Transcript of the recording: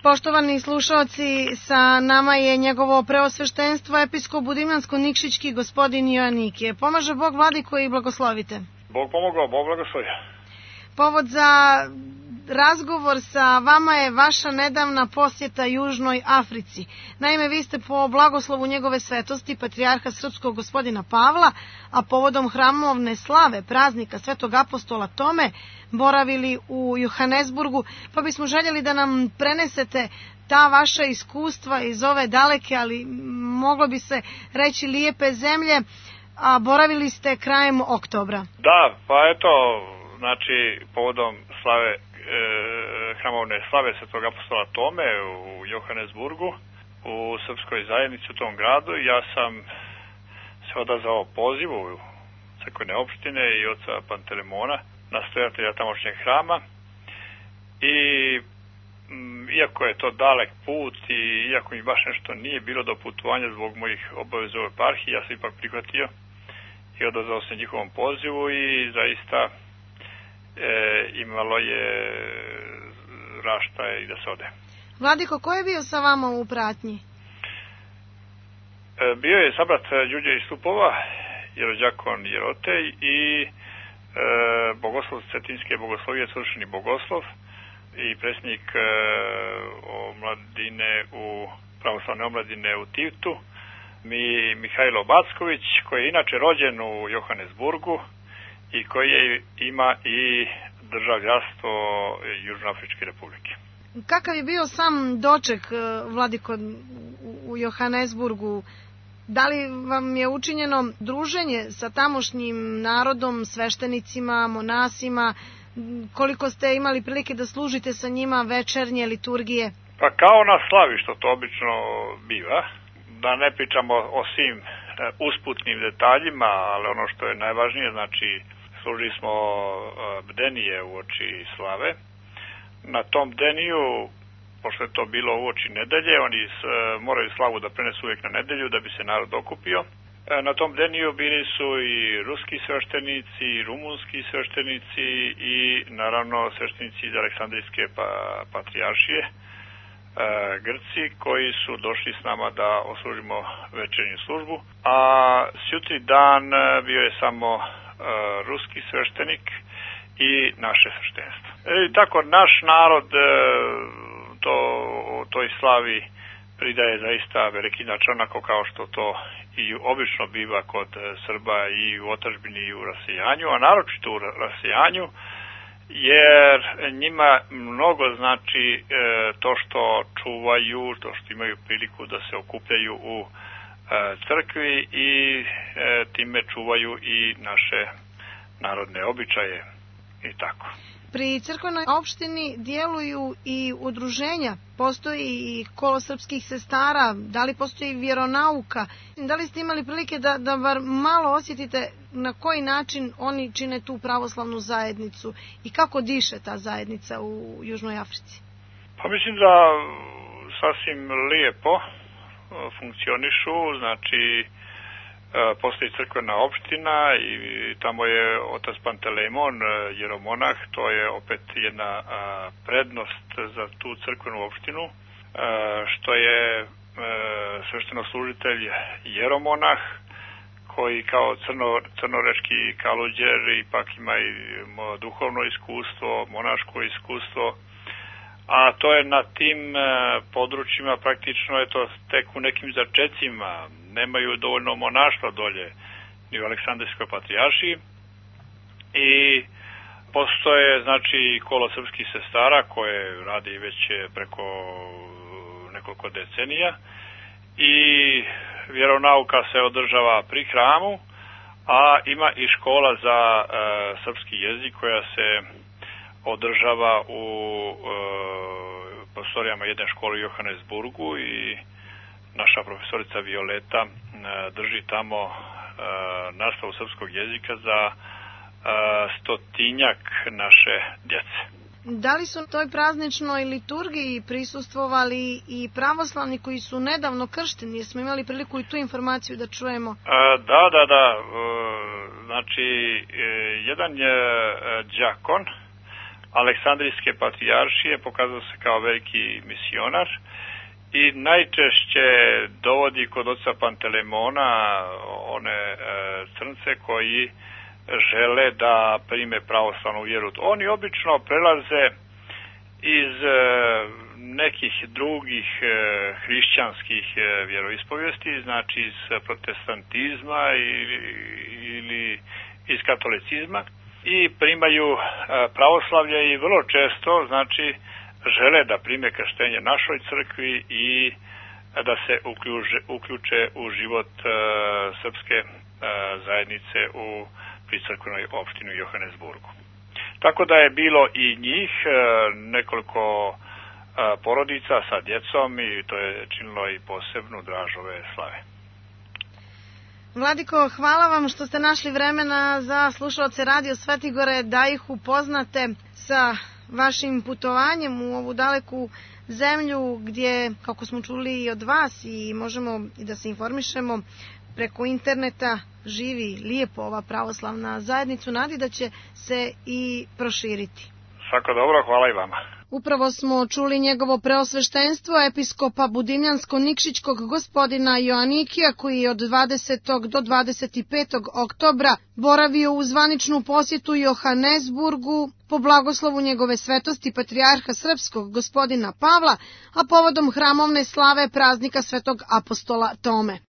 Poštovani slušalci, sa nama je njegovo preosveštenstvo episkop Budimljansko-Nikšićki gospodin Joanikije. Pomaže Bog, vladiko, i blagoslovite. Bog pomogao, Bog blagoslovio. Povod za razgovor sa vama je vaša nedavna posjeta Južnoj Africi. Naime, vi ste po blagoslovu njegove svetosti, patrijarha srpskog gospodina Pavla, a povodom hramovne slave praznika svetog apostola Tome, boravili u Johanesburgu, pa bismo željeli da nam prenesete ta vaša iskustva iz ove daleke, ali moglo bi se reći lijepe zemlje, a boravili ste krajem oktobra. Da, pa eto, znači povodom slave hramovne slave svetog apostola Tome u Johanesburgu, u srpskoj zajednici u tom gradu, ja sam se odazvao pozivu crkvene opštine i oca Pantelemona, nastojatelja tamošnjeg hrama, i iako je to dalek put i iako mi baš nešto nije bilo do putovanja zbog mojih obaveza u eparhiji, ja sam ipak prihvatio i odazvao se njihovom pozivu i zaista imalo je raštaje i da se ode. Vladiko, ko je bio sa vama u pratnji? Bio je sabrat Đurđe iz Stupova, jerođakon Jerotej i bogoslov Cetinske bogoslovije, svršeni bogoslov i predsjednik omladine pravoslavne omladine u Tivtu, Mihajlo Backović, koji je inače rođen u Johanesburgu i koji ima i državljanstvo Južnoafričke republike. Kakav je bio sam doček, vladiko, u Johanesburgu? Da li vam je učinjeno druženje sa tamošnjim narodom, sveštenicima, monasima? Koliko ste imali prilike da služite sa njima večernje liturgije? Pa kao na slavi, što to obično biva. Da ne pričamo o svim usputnim detaljima, ali ono što je najvažnije, znači služili smo bdenije u oči slave. Na tom bdeniju, pošto je to bilo u oči nedelje, oni moraju slavu da prenesu uvijek na nedelju da bi se narod okupio. Na tom bdeniju bili su i ruski sveštenici, i rumunski sveštenici i naravno sveštenici iz Aleksandrijske patrijaršije, Grci, koji su došli s nama da oslužimo večernju službu. A sjutri dan bio je samo ruski sveštenik i naše sveštenstvo. I tako naš narod toj slavi pridaje zaista veliki značaj, onako kao što to i obično biva kod Srba i u otadžbini i u rasejanju, a naročito u rasejanju, jer njima mnogo znači to što čuvaju, to što imaju priliku da se okupljaju u crkvi i time čuvaju i naše narodne običaje i tako. Pri crkvenoj opštini djeluju i udruženja, postoji i kolo srpskih sestara, da li postoji vjeronauka? Da li ste imali prilike da bar malo osjetite na koji način oni čine tu pravoslavnu zajednicu i kako diše ta zajednica u Južnoj Africi? Pa mislim da sasvim lijepo funkcionišu, znači postoji crkvena opština i tamo je otac Pantelemon, jeromonah, to je opet jedna prednost za tu crkvenu opštinu, što je sveštenoslужitelj jeromonah, koji kao crnorečki kaluđer ipak ima i duhovno iskustvo, monaško iskustvo, a to je na tim područjima praktično je to tek u nekim začecima, nemaju dovoljno monaštva dolje ni u Aleksandrijskoj patrijaršiji i postoje znači kolo srpskih sestara koje radi već preko nekoliko decenija i vjeronauka se održava pri hramu, a ima i škola za srpski jezik koja se održava u prostorijama jedne škole u Johanesburgu i naša profesorica Violeta drži tamo nastavu srpskog jezika za 100 naše djece. Da li su toj prazničnoj liturgiji prisustvovali i pravoslavni koji su nedavno kršteni? Jer smo imali priliku i tu informaciju da čujemo. Da. Znači, jedan je đakon Aleksandrijske patrijaršije, pokazao se kao veliki misionar i najčešće dovodi kod oca Pantelemona one crnce koji žele da prime pravoslavnu vjeru. Oni obično prelaze iz nekih drugih hrišćanskih vjeroispovijesti, znači iz protestantizma ili iz katolicizma i primaju pravoslavlje i vrlo često, znači, žele da prime krštenje našoj crkvi i da se uključe u život srpske zajednice pri crkvenoj opštini u Johannesburgu. Tako da je bilo i njih, nekoliko porodica sa djecom i to je činilo i posebnu draž ove slave. Vladiko, hvala vam što ste našli vremena za slušaoce Radio Svetigore da ih upoznate sa vašim putovanjem u ovu daleku zemlju gdje, kako smo čuli i od vas i možemo i da se informišemo preko interneta, živi lijepo ova pravoslavna zajednica, nadi da će se i proširiti. Svako dobro, hvala i vama. Upravo smo čuli njegovo preosveštenstvo episkopa Budimljansko-Nikšićkog gospodina Joanikija, koji je od 20. do 25. oktobra boravio u zvaničnu posjetu Johannesburgu po blagoslovu njegove svetosti patrijarha srpskog gospodina Pavla, a povodom hramovne slave praznika svetog apostola Tome.